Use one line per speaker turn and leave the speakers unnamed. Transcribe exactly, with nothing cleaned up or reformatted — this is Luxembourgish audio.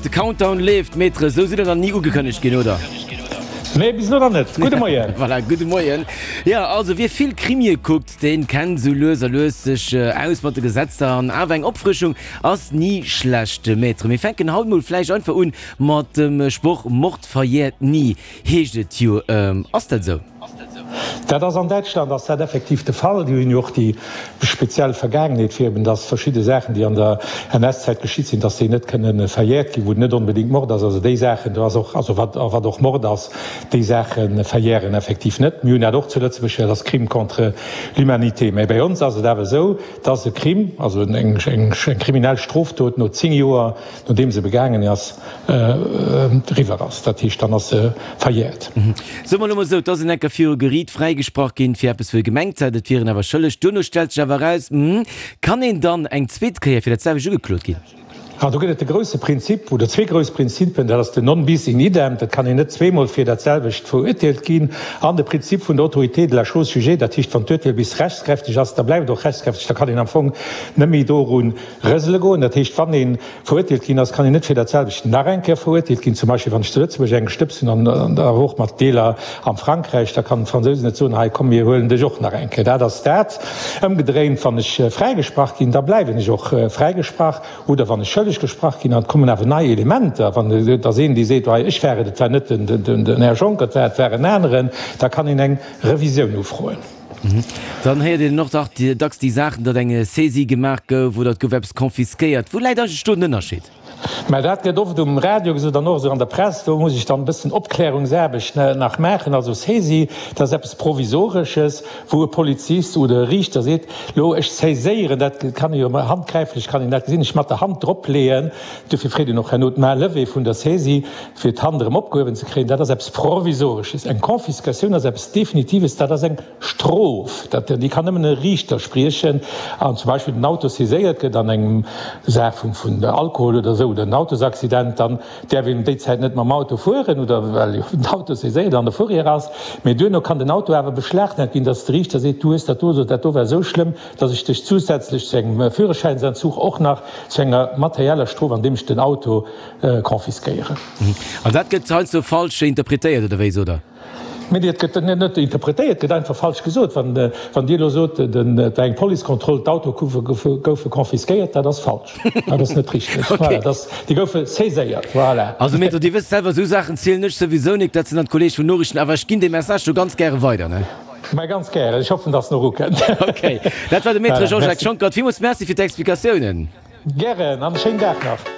De Countdown leeft, Maître, esou sidd der nach ni ugekënnegt ginn, oder?
Nee, bis elo nach net. Gudde Moien.
Voilà, gudde Moien. Jo, also wie vill Krimie kuckt, deen kennt esou lues a lues sech aus mat de Gesetzer an awer eng Opfrëschung ass ni schlecht. Maître, mir fänken haut mol vläicht einfach un mat dem Sproch Mord verjährt nie, heescht et jo. Ass dat esou?
Dat ass an Däitschland ass dat effektiv de Fall. Déi hunn jo och déi speziell Vergaangenheet, fir eben dass verschidde Saachen, déi an der N S-Zäit geschitt sinn, dass déi net kënnen verjährt ginn, wou et net onbedéngt Mord ass. Also déi Saachen, do ass och, also wat, a wat och Mord ass, déi Saache verjähren effektiv net. Mir hunn dat och zu Lëtzebuerg, dat ass Crime contre l'humanité. Mä bei ons ass et awer esou, dass e Crime, also eng, eng kriminell Strofdot no zéng Joer, nodeem se begaangen ass, eriwwer ass. Dat heescht, dann ass se verjährt.
Soe mer elo mol esou, et ass een enker viru Geriit fräigesprach ginn fir eppes, wou e gemengt hat, et wier en awer schëlleg. Duerno stellt sech awer eraus, hm, kann een dann eng zweet Kéier fir dat selwecht ugeklot ginn?
Ah, do gëtt et de grousse Prinzip, oder zwee grouss Prinzipen, dat ass den non bis in idem, dat kann een net zweemol fir dat selwecht verurteelt ginn, an de Prinzip vun der Autorité de la chose jugée, dat heescht, wann d'Urteel bis rechtskräfteg ass, da bleift et och rechtskräfteg, da kann een am Fong net méi doru rësele goen. Dat heescht, wann ee verurteelt ginn ass, kann een net fir dat selwecht nach eng Kéier verurteelt ginn. Zum Beispill, wann ech zu Lëtzebuerg eng gestëbst hunn an awer och mat Deeler am Frankräich, da kann d'Fransousen net soen, hei komm mir huelen dech och nach eng Kéier. Dat ass dat. Ëmgedréint, wann ech fräigesprach ginn, da bleiwen ech och fräigesprach. Oder wann ech schëlleg gesprach ginn an et kommen awer nei Elementer, wann et ass een, dee seet, hei ech war et, et war net den Här Juncker, et war et war en aneren, da kann een eng Revisioun ufroen.
Dann héiert een och dach dacks déi Saachen, datt eng Saisie gemaach gouf oder et gouf eppes confisquéiert. Wou läit eigentlech do den Ënnerscheed?
Mä dat gëtt oft um Radio gesot an och esou an der Press. Do muss ech dann e bëssen Opklärungsaarbecht nach maachen. Also Saisie, dat ass eppes Provisoresches, wou e Polizist oder e Riichter seet, Lo, ech saiséieren, dat kann ee jo handgräiflech kann een dat gesinn, ech mat der Hand dropleeën. Dofir freet een och herno d'Main levée vun der Saisie, fir d'Hand erëm opgehuewen ze kréien. Dat ass eppes Provisoresches. Eng Confiscatioun ass eppes Definitives, dat ass eng Strof, dat, déi kann nëmmen e Riichter spriechen. An zum Beispill den Auto saiséiert gëtt an engem Saach vun, vun Alkohol oder esou oder en Autosaccident, dann däerf een déi Zäit net mam Auto fueren oder well jo den Auto saiséiert an der Fourrière ass. Mee duerno kann den Auto awer beschlagnahmt ginn, dass de Riichter seet, du hues dat do oder dat do war esou schlëmm, dass ech dech zusätzlech zu engem Führerschäinsentzug och nach zu enger materieller Strof, andeem ech den Auto confisquéieren.
An dat gëtt heiansdo falsch interpretéiert, oder wéi sot Der?
Mee et gëtt net net interpretéiert, et gëtt einfach falsch gesot. Wann, wann Dir elo sot, den, et war eng Policekontroll, d'Autoe goufe confisquéiert, dat ass falsch. Dat ass net richteg. Okay. Voilà, dat, déi goufe saiséiert. Voilà.
Also Maître, Dir wësst selwer, esou Saachen zielen ech souwisou nik, dat sinn dann d'Kollege vun Noriichten, awer ech ginn dee Message do ganz gäre weider, ne?
Mä ganz gären. Ech hoffen, dass en och ukënnt.
Okay. Dat war de Maître Jean-Jacques Schonckert. Villmools Merci fir d'Explikatiounen.
Gären an e schéinen Dag nach.